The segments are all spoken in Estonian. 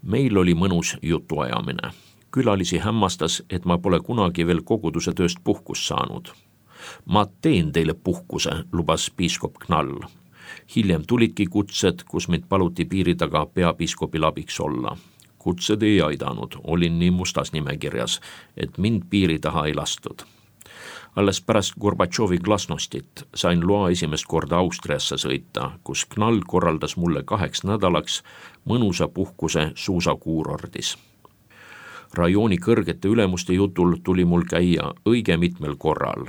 Meil oli mõnus jutuajamine. Külalisi hämmastas, et ma pole kunagi veel koguduse tööst puhkust saanud. Ma teen teile puhkuse, lubas piiskop Knall. Hiljem tulidki kutsed, kus mind paluti piiri taga peapiiskopil abiks olla. Kutsed ei aidanud, olin nii mustas nimekirjas, et mind piiri taha ei lastud. Alles pärast Gorbatšovi glasnostit sain loa esimest korda Austriasse sõita, kus Knall korraldas mulle 2 nädalaks mõnusa puhkuse suusakuurordis. Rajooni kõrgete ülemuste jutul tuli mul käia õige mitmel korral.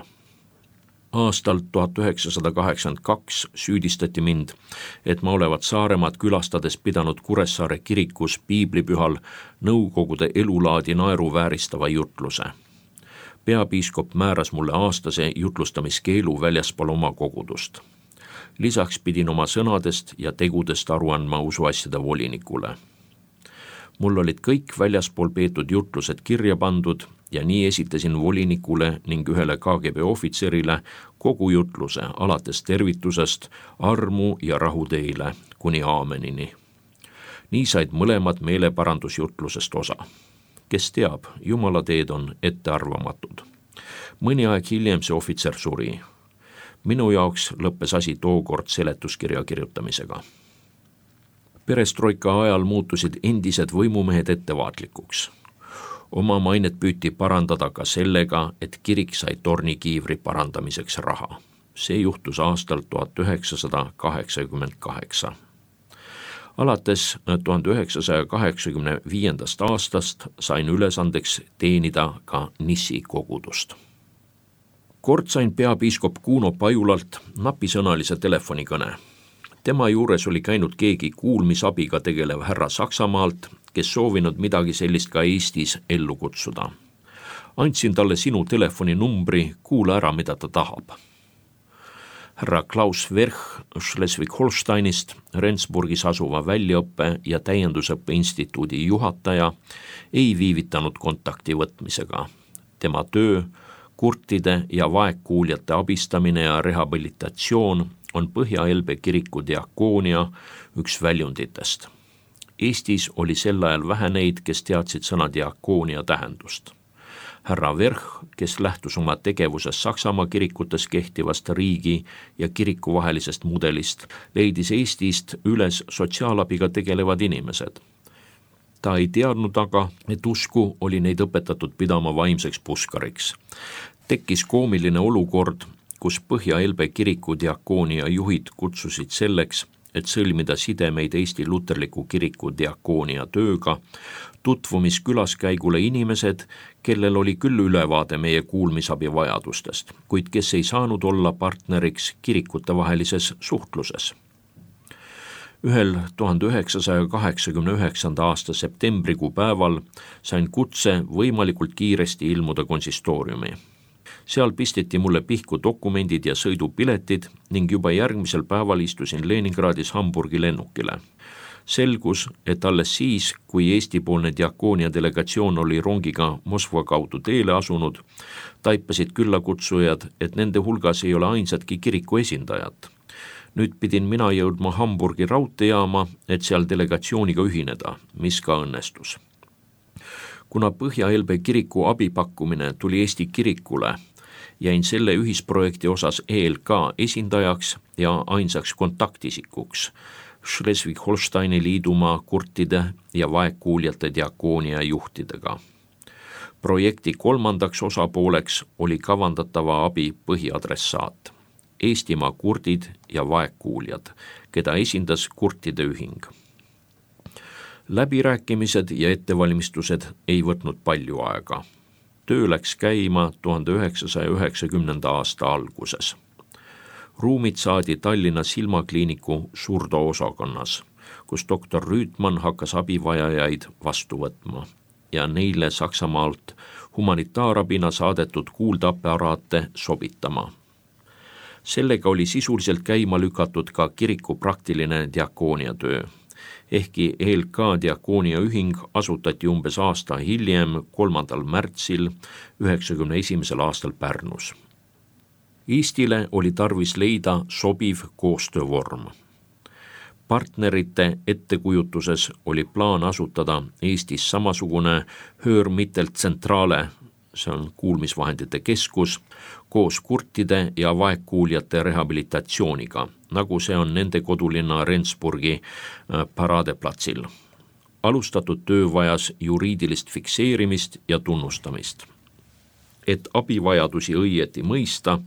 Aastal 1982 süüdistati mind, et ma olevat Saaremaad külastades pidanud Kuressaare kirikus piiblipühal nõukogude elulaadi naeruvääristava jutluse. Peapiiskop määras mulle aastase jutlustamiskeelu väljaspool oma kogudust. Lisaks pidin oma sõnadest ja tegudest aru andma usuasjade volinikule. Mul olid kõik väljaspool peetud jutlused kirja pandud ja nii esitasin volinikule ning ühele KGB ohvitserile kogu jutluse alates tervitusest, armu ja rahu teile kuni aamenini. Nii said mõlemad meeleparandusjutlusest osa. Kes teab, Jumala teed on ettearvamatud. Mõni aeg hiljem see ohvitser suri. Minu jaoks lõppes asi tookord seletuskirja kirjutamisega. Perestroika ajal muutusid endised võimumehed ettevaatlikuks. Oma mainet püüti parandada ka sellega, et kirik sai tornikiivri parandamiseks raha. See juhtus aastal 1988. Alates 1985. aastast sain ülesandeks teenida ka Nissi kogudust. Kord sain peapiiskop Kuno Pajulalt napisõnalise telefonikõne. Tema juures oli käinud keegi kuulmisabiga tegelev härra Saksamaalt, kes soovinud midagi sellist ka Eestis ellu kutsuda. Andsin talle sinu telefoninumbri, kuula ära, mida ta tahab. Härra Klaus Verch Schleswig-Holsteinist, Rendsburgis asuva väljaõppe ja täiendusõppe instituudi juhataja, ei viivitanud kontakti võtmisega. Tema töö, kurtide ja vaegkuuljate abistamine ja rehabilitatsioon on Põhja-Elbe kiriku diakoonia üks väljunditest. Eestis oli sel ajal vähe neid, kes teadsid sõna diakoonia tähendust. Härra Verch, kes lähtus oma tegevuses Saksamaa kirikutes kehtivast riigi ja kiriku vahelisest mudelist, leidis Eestist üles sotsiaalabiga tegelevad inimesed. Ta ei teadnud aga, et usku oli neid õpetatud pidama vaimseks puskariks. Tekkis koomiline olukord, kus Põhja-Elbe kiriku diakoonia juhid kutsusid selleks, et sõlmida sidemeid Eesti luterliku kiriku diakoonia tööga, tutvumis külaskäigule inimesed, kellel oli küll ülevaade meie kuulmisabi vajadustest, kuid kes ei saanud olla partneriks kirikutevahelises suhtluses. Ühel 1989. aasta septembrikuu päeval sain kutse võimalikult kiiresti ilmuda konsistooriumi. Seal pisteti mulle pihku dokumendid ja sõidupiletid ning juba järgmisel päeval istusin Leningradis Hamburgi lennukile. Selgus, et alles siis, kui Eesti-poolne diakoonia delegatsioon oli rongiga Moskva kaudu teele asunud, taipasid küllakutsujad, et nende hulgas ei ole ainsatki kiriku esindajat. Nüüd pidin mina jõudma Hamburgi raudteejaama, et seal delegatsiooniga ühineda, mis ka õnnestus. Kuna Põhja-Elbe kiriku abipakkumine tuli Eesti kirikule, jäin selle ühisprojekti osas ELK esindajaks ja ainsaks kontaktisikuks Schleswig-Holsteini liidumaa kurtide ja vaegkuuljate diakoonia juhtidega. Projekti kolmandaks osapooleks oli kavandatava abi põhiadressaat, Eestimaa kurdid ja vaegkuuljad, keda esindas kurtide ühing. Läbirääkimised ja ettevalmistused ei võtnud palju aega. Töö läks käima 1990. aasta alguses. Ruumid saadi Tallinna silmakliiniku surdoosakonnas, kus doktor Rüütman hakkas abivajajaid vastu võtma ja neile Saksamaalt humanitaarabina saadetud kuuldeaparaate sobitama. Sellega oli sisuliselt käima lükatud ka kiriku praktiline diakoonia töö. Ehkki ELK diakoonia ühing asutati umbes aasta hiljem, 3. märtsil 1991. aastal Pärnus. Eestile oli tarvis leida sobiv koostöövorm. Partnerite ettekujutuses oli plaan asutada Eestis samasugune Hörmittelzentrale, see on kuulmisvahendite keskus, koos kurtide ja vaegkuuljate rehabilitatsiooniga, nagu see on nende kodulinna Rendsburgi paraadeplatsil. Alustatud töö vajas juriidilist fikseerimist ja tunnustamist. Et abivajadusi õieti mõista,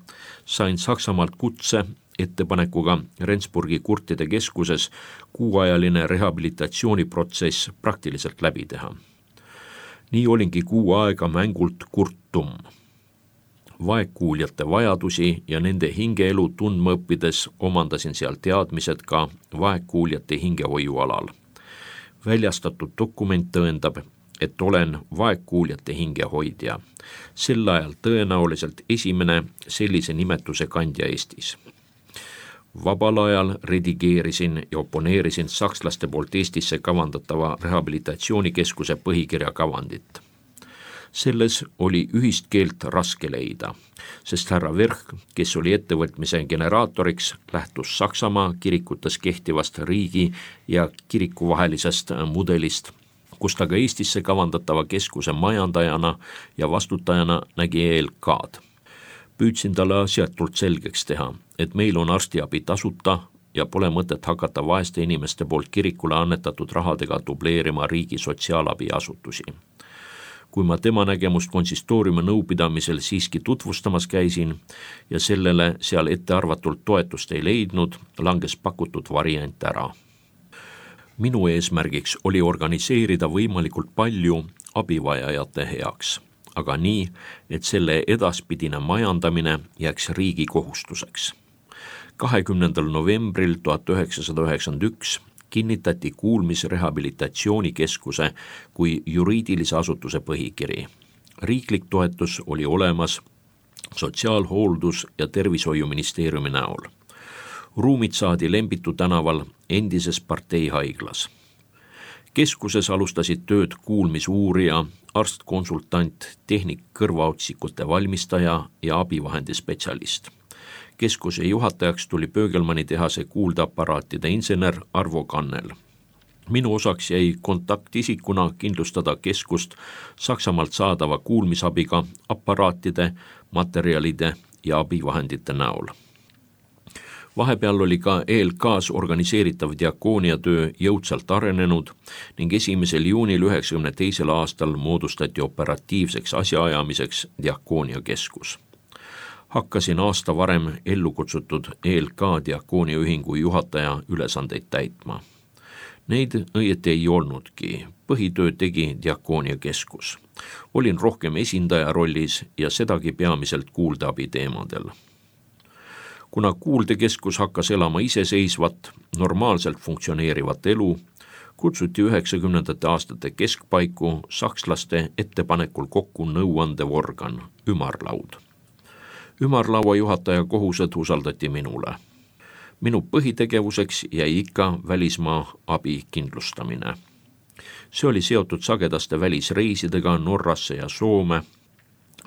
sain Saksamaalt kutse ettepanekuga Rendsburgi kurtide keskuses kuuajaline rehabilitatsiooniprotsess praktiliselt läbi teha. Nii olingi 6 aega mängult kurtum. Vaegkuuljate vajadusi ja nende hingeelu tundma õppides omandasin seal teadmised ka vaegkuuljate hingehoiualal. Väljastatud dokument tõendab, et olen vaegkuuljate hingehoidja. Sel ajal tõenäoliselt esimene sellise nimetuse kandja Eestis. Vabal ajal redigeerisin ja oponeerisin sakslaste poolt Eestisse kavandatava rehabilitatsioonikeskuse põhikirja kavandit. Selles oli ühist keelt raske leida, sest härra Verch, kes oli ettevõtmise generaatoriks, lähtus Saksamaa kirikutes kehtivast riigi ja kiriku vahelisest mudelist, kus ta ka Eestisse kavandatava keskuse majandajana ja vastutajana nägi ELK-d. Püüdsin talle asjatult selgeks teha, et meil on arstiabi tasuta ja pole mõtet hakata vaeste inimeste poolt kirikule annetatud rahadega dubleerima riigi sotsiaalabiasutusi. Kui ma tema nägemust konsistooriumi nõupidamisel siiski tutvustamas käisin ja sellele seal ettearvatult toetust ei leidnud, langes pakutud variant ära. Minu eesmärgiks oli organiseerida võimalikult palju abivajajate heaks, aga nii, et selle edaspidine majandamine jääks riigi kohustuseks. 20. novembril 1991 kinnitati kuulmisrehabilitatsioonikeskuse kui juriidilise asutuse põhikiri. Riiklik toetus oli olemas Sotsiaalhooldus- ja Tervishoiuministeeriumi näol. Ruumid saadi Lembitu tänaval endises parteihaiglas. Keskuses alustasid tööd kuulmisuurija, arstkonsultant, tehnik-kõrvaotsikute valmistaja ja abivahendispetsialist. Keskuse juhatajaks tuli Pöögelmanni tehase kuuldeaparaatide insener Arvo Kannel. Minu osaks jäi kontaktisikuna kindlustada keskust Saksamaalt saadava kuulmisabiga aparaatide, materjalide ja abivahendite näol. Vahepeal oli ka ELK-s organiseeritav diakooniatöö jõudsalt arenenud ning 1. juunil 1992. aastal moodustati operatiivseks asjaajamiseks diakooniakeskus. Hakkasin aasta varem ellu kutsutud ELK diakooniaühingu juhataja ülesandeid täitma. Neid õieti ei olnudki, põhitöö tegi diakooniakeskus. Olin rohkem esindaja rollis ja sedagi peamiselt kuuldeabi teemadel. Kuna kuuldekeskus hakkas elama iseseisvat, normaalselt funktsioneerivat elu, kutsuti 90. aastate keskpaiku sakslaste ettepanekul kokku nõuandev organ, ümarlaud. Ümarlaua juhataja kohused usaldati minule. Minu põhitegevuseks jäi ikka välismaa abi kindlustamine. See oli seotud sagedaste välisreisidega Norrasse ja Soome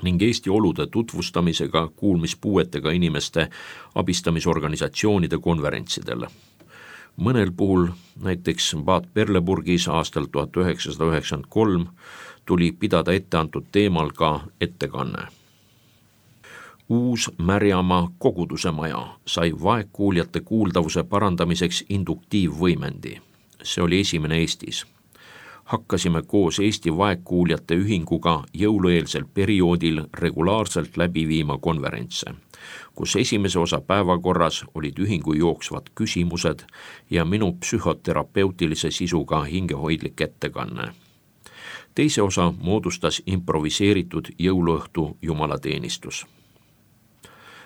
ning Eesti olude tutvustamisega kuulmispuuetega inimeste abistamisorganisatsioonide konverentsidel. Mõnel puhul, näiteks Bad Berleburgis aastal 1993, tuli pidada etteantud teemal ka ettekanne. Uus Märjamaa koguduse maja sai vaegkuuljate kuuldavuse parandamiseks induktiivvõimendi. See oli esimene Eestis. Hakkasime koos Eesti vaegkuuljate ühinguga jõulueelsel perioodil regulaarselt läbi viima konverentse, kus esimese osa päevakorras olid ühingu jooksvad küsimused ja minu psühhoterapeutilise sisuga hingehoidlik ettekanne. Teise osa moodustas improviseeritud jõuluõhtu jumalateenistus.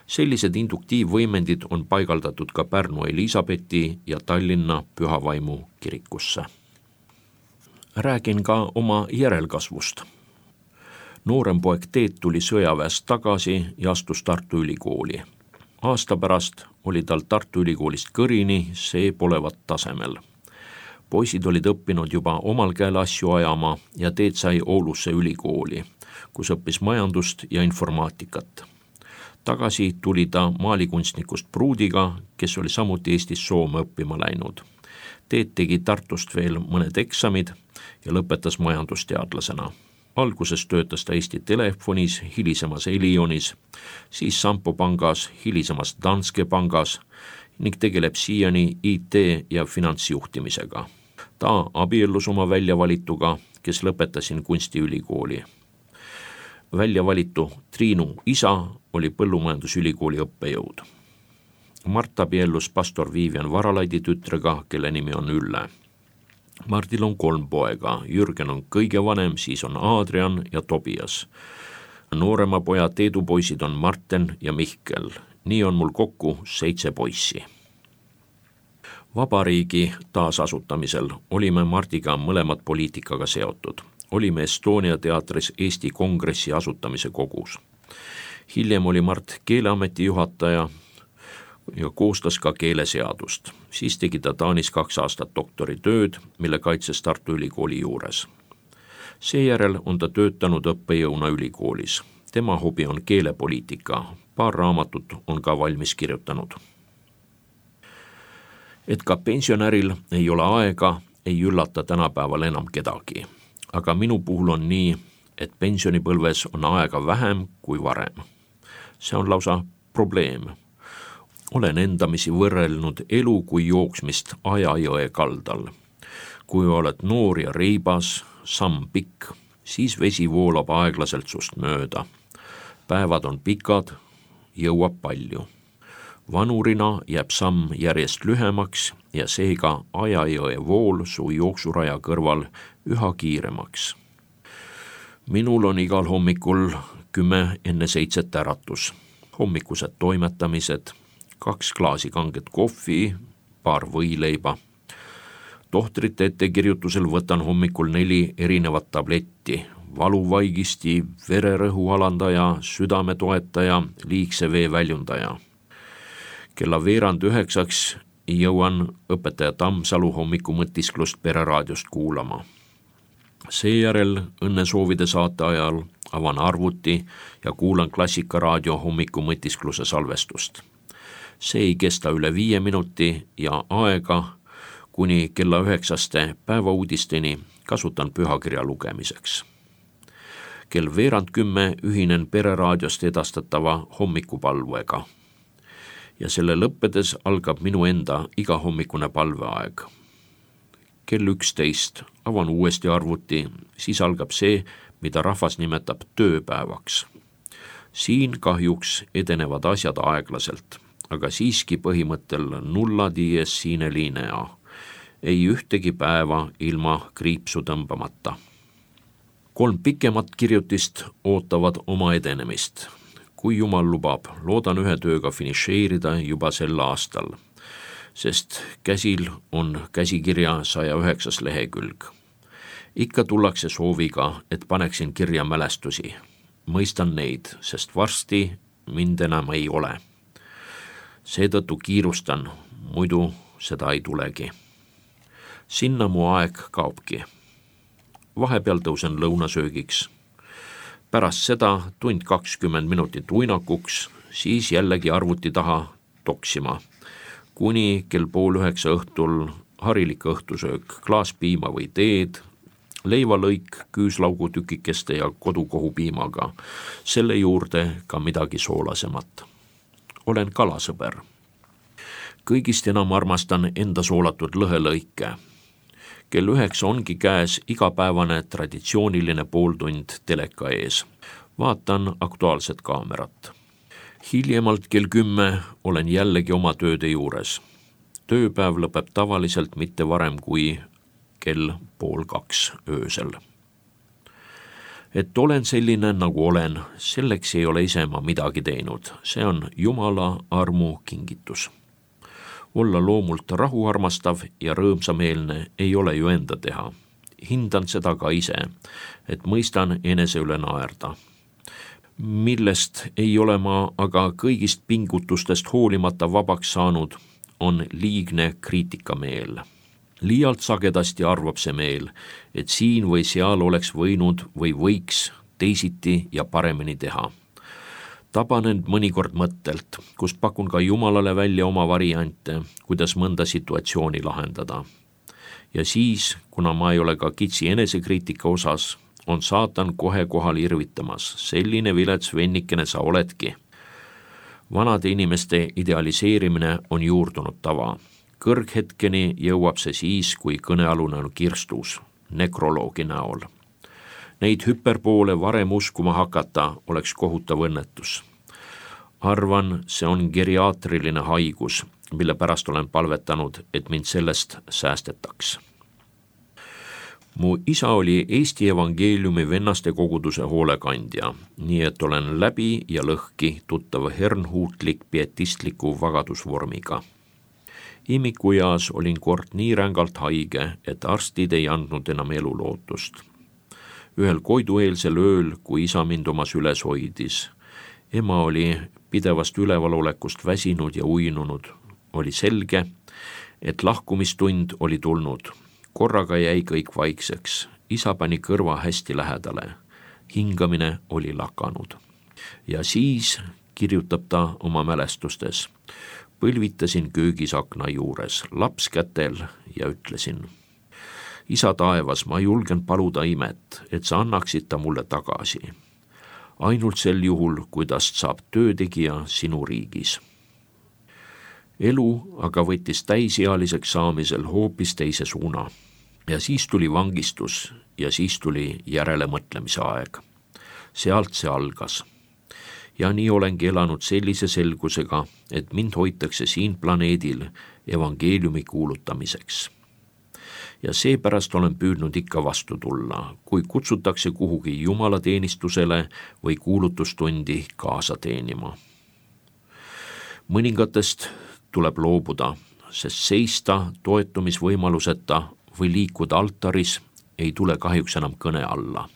Sellised induktiivvõimendid on paigaldatud ka Pärnu Elisabethi ja Tallinna Pühavaimu kirikusse. Räägin ka oma järelkasvust. Noorem poeg Teet tuli sõjaväest tagasi ja astus Tartu Ülikooli. Aasta pärast oli tal Tartu Ülikoolist kõrini see polevat tasemel. Poisid olid õppinud juba omal käel asju ajama ja Teet sai Oulusse ülikooli, kus õppis majandust ja informaatikat. Tagasi tuli ta maalikunstnikust pruudiga, kes oli samuti Eestis Soome õppima läinud. Tegi Tartust veel mõned eksamid ja lõpetas majandusteadlasena. Alguses töötas ta Eesti Telefonis, hilisemas Elionis, siis Sampo pangas, hilisemas Danske pangas ning tegeleb siiani IT- ja finantsjuhtimisega. Ta abiellus oma väljavalituga, kes lõpetasin kunstiülikooli. Väljavalitu Triinu isa oli Põllumajandusülikooli õppejõud. Mart abiellus pastor Viivian Varalaidi tütrega, kelle nimi on Ülle. Mardil on 3 poega, Jürgen on kõige vanem, siis on Adrian ja Tobias. Noorema poja Teedupoisid on Marten ja Mihkel. Nii on mul kokku 7 poissi. Vabariigi taasasutamisel olime Mardiga mõlemad poliitikaga seotud. Olime Estonia teatris Eesti Kongressi asutamise kogus. Hiljem oli Mart Keeleameti juhataja ja koostas ka keeleseadust. Siis tegi ta Taanis 2 aastat doktoritööd, mille kaitses Tartu Ülikooli juures. Seejärel on ta töötanud õppejõuna ülikoolis. Tema hobi on keelepoliitika. Paar raamatut on ka valmis kirjutanud. Et ka pensionäril ei ole aega, ei üllata tänapäeval enam kedagi. Aga minu puhul on nii, et pensionipõlves on aega vähem kui varem. See on lausa probleem. Olen endamisi võrrelnud elu kui jooksmist Ajajõe kaldal. Kui oled noor ja reibas, samm pikk, siis vesi voolab aeglaselt sust mööda. Päevad on pikad, jõuab palju. Vanurina jääb samm järjest lühemaks ja seega Ajajõe vool su jooksuraja kõrval üha kiiremaks. Minul on igal hommikul 10 enne 7 äratus. Hommikused toimetamised, 2 klaasi kanget kohvi, paar võileiba. Tohtrite ettekirjutusel võtan hommikul 4 erinevat tabletti, valuvaigisti, vererõhu alandaja, südametoetaja, liigse vee väljundaja. Kella 8:30 jõuan õpetaja Tammsalu hommikumõtisklust Pereraadiost kuulama. Seejärel õnnesoovide saate ajal avan arvuti ja kuulan Klassikaraadio hommikumõtiskluse salvestust. See ei kesta üle 5 minuti ja aega kuni kella 9 päevauudisteni kasutan pühakirja lugemiseks. Kell 9:10 ühinen Pereraadiost edastatava hommikupalvega. Ja selle lõppedes algab minu enda igahommikune palveaeg. Kell 11 avan uuesti arvuti, siis algab see, mida rahvas nimetab tööpäevaks. Siin kahjuks edenevad asjad aeglaselt, aga siiski põhimõttel nulla dies sine linea. Ei ühtegi päeva ilma kriipsu tõmbamata. 3 pikemat kirjutist ootavad oma edenemist. Kui Jumal lubab, loodan ühe tööga finišeerida juba sel aastal, sest käsil on käsikirja 109 lehekülg. Ikka tullakse sooviga, et paneksin kirja mälestusi. Mõistan neid, sest varsti mind enam ei ole. Seetõttu kiirustan, muidu seda ei tulegi. Sinna mu aeg kaobki. Vahepeal tõusen lõunasöögiks. Pärast seda 1:20 minutit uinakuks, siis jällegi arvuti taha toksima. Kuni kell 8:30 õhtul harilik õhtusöök, klaas piima või teed, leivalõik küüslaugutükikeste ja kodukohupiimaga, selle juurde ka midagi soolasemat. Olen kalasõber. Kõigist enam armastan enda soolatud lõhelõike. Kell 9 ongi käes igapäevane traditsiooniline pooltund teleka ees. Vaatan Aktuaalset kaamerat. Hiljemalt kell 10 olen jällegi oma tööde juures. Tööpäev lõpeb tavaliselt mitte varem kui kell 1:30 öösel. Et olen selline, nagu olen, selleks ei ole ise ma midagi teinud. See on Jumala armu kingitus. Olla loomult rahuarmastav ja rõõmsameelne ei ole ju enda teha. Hindan seda ka ise, et mõistan enese üle naerda. Millest ei ole ma aga kõigist pingutustest hoolimata vabaks saanud, on liigne kriitikameel. Liialt sagedasti arvab see meel, et siin või seal oleks võinud või võiks teisiti ja paremini teha. Taban end mõnikord mõttelt, kus pakun ka Jumalale välja oma variante, kuidas mõnda situatsiooni lahendada. Ja siis, kuna ma ei ole ka kitsi enesekriitika osas, on saatan kohe kohal irvitamas. Selline vilets vennikene sa oledki. Vanade inimeste idealiseerimine on juurdunud tava. Kõrghetkeni jõuab see siis, kui kõnealune on kirstus, nekroloogi näol. Neid hüperpoole varem uskuma hakata oleks kohutav õnnetus. Arvan, see on geriaatriline haigus, mille pärast olen palvetanud, et mind sellest säästetaks. Mu isa oli Eesti Evangeeliumi vennaste koguduse hoolekandja, nii et olen läbi ja lõhki tuttav hernhuutlik pietistliku vagadusvormiga. Imikueas olin kord nii rängalt haige, et arstid ei andnud enam elulootust. Ühel koidueelsel ööl, kui isa mind omas üles hoidis, ema oli pidevast ülevalolekust väsinud ja uinunud. Oli selge, et lahkumistund oli tulnud. Korraga jäi kõik vaikseks. Isa pani kõrva hästi lähedale. Hingamine oli lakanud. Ja siis, kirjutab ta oma mälestustes, põlvitasin köögis akna juures, laps kätel ja ütlesin: Isa taevas, ma julgen paluda imet, et sa annaksid ta mulle tagasi. Ainult sel juhul, kui tast saab töötegija sinu riigis. Elu aga võttis täisealiseks saamisel hoopis teise suuna. Ja siis tuli vangistus ja siis tuli järelemõtlemise aeg. Sealt see algas. Ja nii olengi elanud sellise selgusega, et mind hoitakse siin planeedil evangeeliumi kuulutamiseks. Ja seepärast olen püüdnud ikka vastu tulla, kui kutsutakse kuhugi jumalateenistusele või kuulutustundi kaasa teenima. Mõningatest tuleb loobuda, sest seista toetumisvõimaluseta või liikuda altaris ei tule kahjuks enam kõne alla.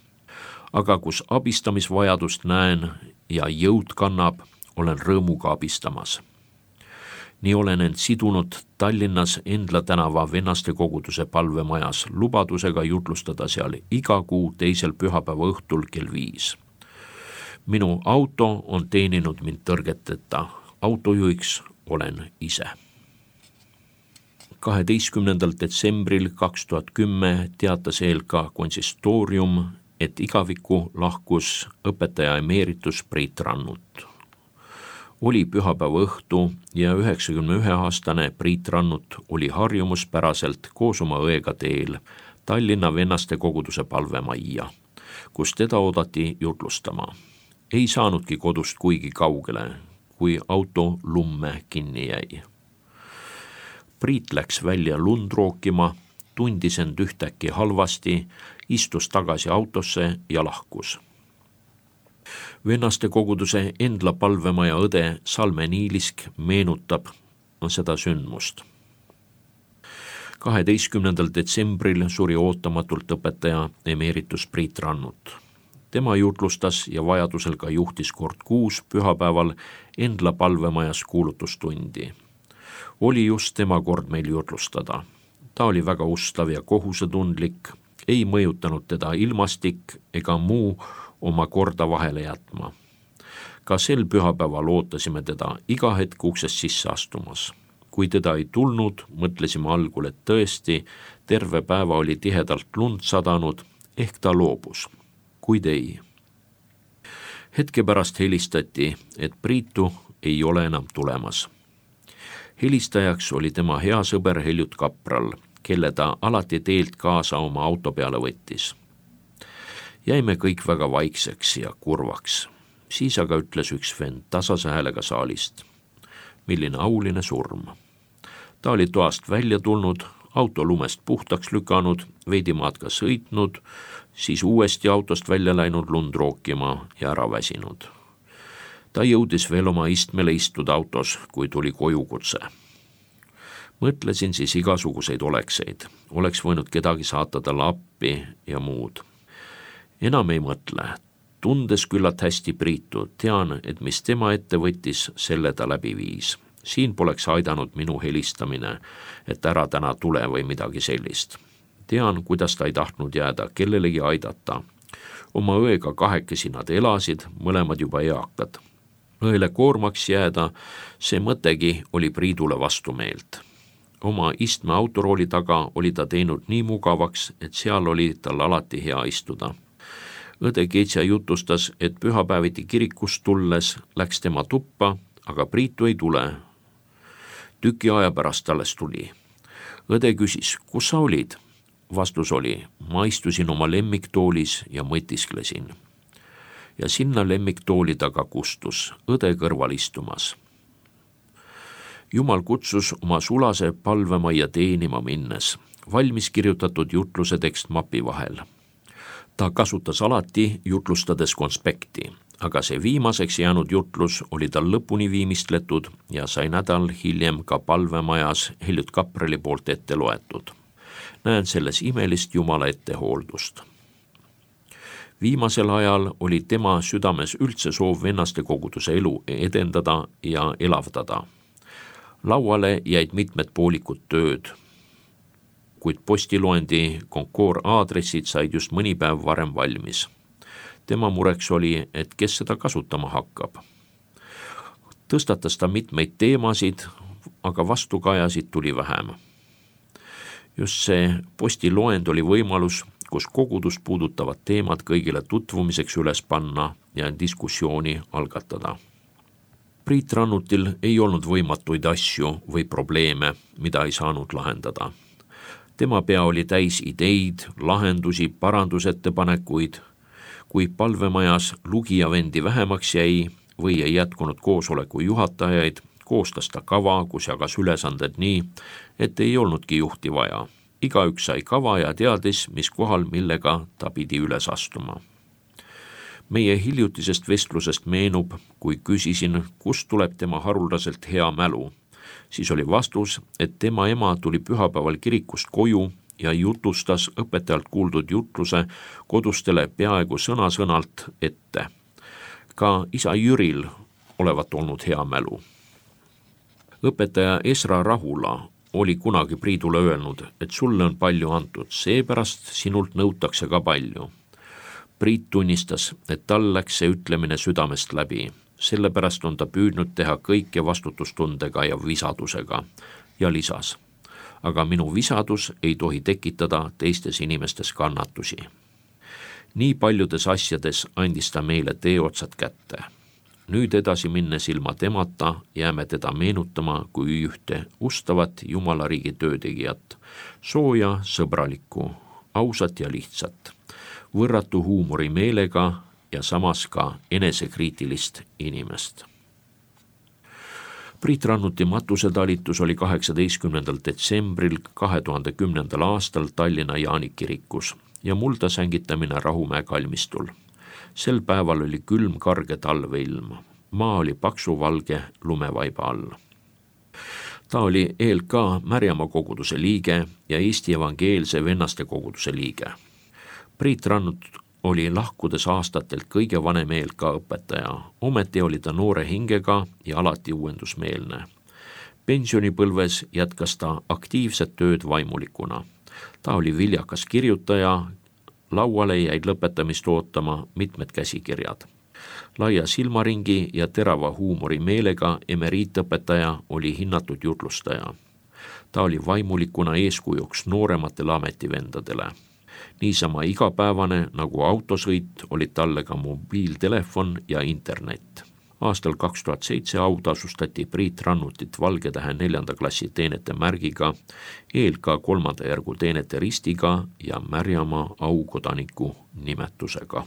Aga kus abistamisvajadust näen ja jõud kannab, olen rõõmuga abistamas. Nii olen end sidunud Tallinnas Endla tänava vennaste koguduse palvemajas lubadusega jutlustada seal iga kuu teisel pühapäeva õhtul kell 5. Minu auto on teeninud mind tõrgeteta. Autojuhiks olen ise. 12. detsembril 2010 teatas ELK konsistoorium, et igavikku lahkus õpetaja emeeritus Priit Rannut. Oli pühapäeva õhtu ja 91-aastane Priit Rannut oli harjumuspäraselt koos oma õega teel Tallinna vennaste koguduse palvemajja, kus teda oodati jutlustama. Ei saanudki kodust kuigi kaugele, kui auto lumme kinni jäi. Priit läks välja lund rookima, tundis end ühtäkki halvasti, istus tagasi autosse ja lahkus. Vennaste koguduse Endla palvemaja õde Salme Niilisk meenutab seda sündmust. 12. detsembril suri ootamatult õpetaja emeeritus Priit Rannut. Tema jutlustas ja vajadusel ka juhtis kord kuus pühapäeval Endla palvemajas kuulutustundi. Oli just tema kord meil jutlustada. Ta oli väga ustav ja kohusetundlik, ei mõjutanud teda ilmastik ega muu oma korda vahele jätma. Ka sel pühapäeval ootasime teda iga hetk uksest sisse astumas. Kui teda ei tulnud, mõtlesime algul, et tõesti terve päeva oli tihedalt lund sadanud, ehk ta loobus, kuid ei. Hetke pärast helistati, et Priitu ei ole enam tulemas. Helistajaks oli tema hea sõber Heljut Kapral, kelle ta alati teelt kaasa oma auto peale võttis. Jäime kõik väga vaikseks ja kurvaks. Siis aga ütles üks vend tasase häälega saalist: milline auline surm. Ta oli toast välja tulnud, auto lumest puhtaks lükanud, veidi maad ka sõitnud, siis uuesti autost välja läinud lund rookima ja ära väsinud. Ta jõudis veel oma istmele istuda autos, kui tuli kojukutse. Mõtlesin siis igasuguseid olekseid. Oleks võinud kedagi saata talle appi ja muud. Enam ei mõtle. Tundes küllalt hästi Priitu, tean, et mis tema ette võttis, selle ta läbi viis. Siin poleks aidanud minu helistamine, et ära täna tule või midagi sellist. Tean, kuidas ta ei tahtnud jääda kellelegi aidata. Oma õega kahekesi nad elasid, mõlemad juba eakad. Õele koormaks jääda, see mõttegi oli Priidule vastumeelt. Oma istme autorooli taga oli ta teinud nii mugavaks, et seal oli tal alati hea istuda. Õde Keitsa jutustas, et pühapäeviti kirikust tulles läks tema tuppa, aga Priitu ei tule. Tüki aja pärast alles tuli. Õde küsis, kus sa olid? Vastus oli, ma istusin oma lemmiktoolis ja mõtisklesin. Ja sinna lemmiktooli taga kustus, õde kõrval istumas. Jumal kutsus oma sulase palvemajja teenima minnes, valmis kirjutatud jutluse tekst mapi vahel. Ta kasutas alati jutlustades konspekti, aga see viimaseks jäänud jutlus oli tal lõpuni viimistletud ja sai nädal hiljem ka palvemajas Heljutt Kapreli poolt ette loetud. Näen selles imelist Jumala ettehooldust. Viimasel ajal oli tema südames üldse soov vennaste koguduse elu edendada ja elavdada. Lauale jäid mitmed poolikud tööd, kuid postiloendi Concours aadressid said just mõni päev varem valmis. Tema mureks oli, et kes seda kasutama hakkab. Tõstatas ta mitmeid teemasid, aga vastukajasid tuli vähem. Just see postiloend oli võimalus, kus kogudust puudutavad teemad kõigile tutvumiseks üles panna ja diskussiooni algatada. Priit Rannutil ei olnud võimatuid asju või probleeme, mida ei saanud lahendada. Tema pea oli täis ideid, lahendusi, parandusettepanekuid. Kui palvemajas lugijavendi vähemaks jäi või ei jätkunud koosoleku juhatajaid, koostas ta kava, kus jagas ülesanded nii, et ei olnudki juhti vaja. Igaüks sai kava ja teadis, mis kohal millega ta pidi üles astuma. Meie hiljutisest vestlusest meenub, kui küsisin, kust tuleb tema haruldaselt hea mälu. Siis oli vastus, et tema ema tuli pühapäeval kirikust koju ja jutustas õpetajalt kuuldud jutluse kodustele peaaegu sõna-sõnalt ette. Ka isa Jüril olevat olnud hea mälu. Õpetaja Esra Rahula oli kunagi Priidule öelnud, et sulle on palju antud, seepärast sinult nõutakse ka palju. Priit tunnistas, et tal läks see ütlemine südamest läbi. Sellepärast on ta püüdnud teha kõike vastutustundega ja visadusega ja lisas. Aga minu visadus ei tohi tekitada teistes inimestes kannatusi. Nii paljudes asjades andis ta meile teeotsad kätte. Nüüd edasi minnes ilma temata jääme teda meenutama kui ühte ustavat Jumalariigi töötegijat, sooja, sõbralikku, ausat ja lihtsat, võrratu huumorimeelega ja samas ka enesekriitilist inimest. Priit Rannuti matusetalitus oli 18. detsembril 2010. aastal Tallinna Jaani kirikus ja mulda sängitamine Rahumäe kalmistul. Sel päeval oli külm karge talveilm. Maa oli paksu valge lumevaiba all. Ta oli ELK Märjamaa koguduse liige ja Eesti Evangeelse Vennaste koguduse liige. Priit Rannut oli lahkudes aastatelt kõige vanem ELK õpetaja. Ometi oli ta noore hingega ja alati uuendusmeelne. Pensionipõlves jätkas ta aktiivset tööd vaimulikuna. Ta oli viljakas kirjutaja, lauale jäid lõpetamist ootama mitmed käsikirjad. Laia silmaringi ja terava huumorimeelega emeriitõpetaja oli hinnatud jutlustaja. Ta oli vaimulikuna eeskujuks noorematele ametivendadele. Niisama igapäevane nagu autosõit olid talle ka mobiiltelefon ja internet. Aastal 2007 autasustati Priit Rannutit Valgetähe 4. klassi teenete märgiga, ELK 3. järgu teenete ristiga ja Märjamaa aukodaniku nimetusega.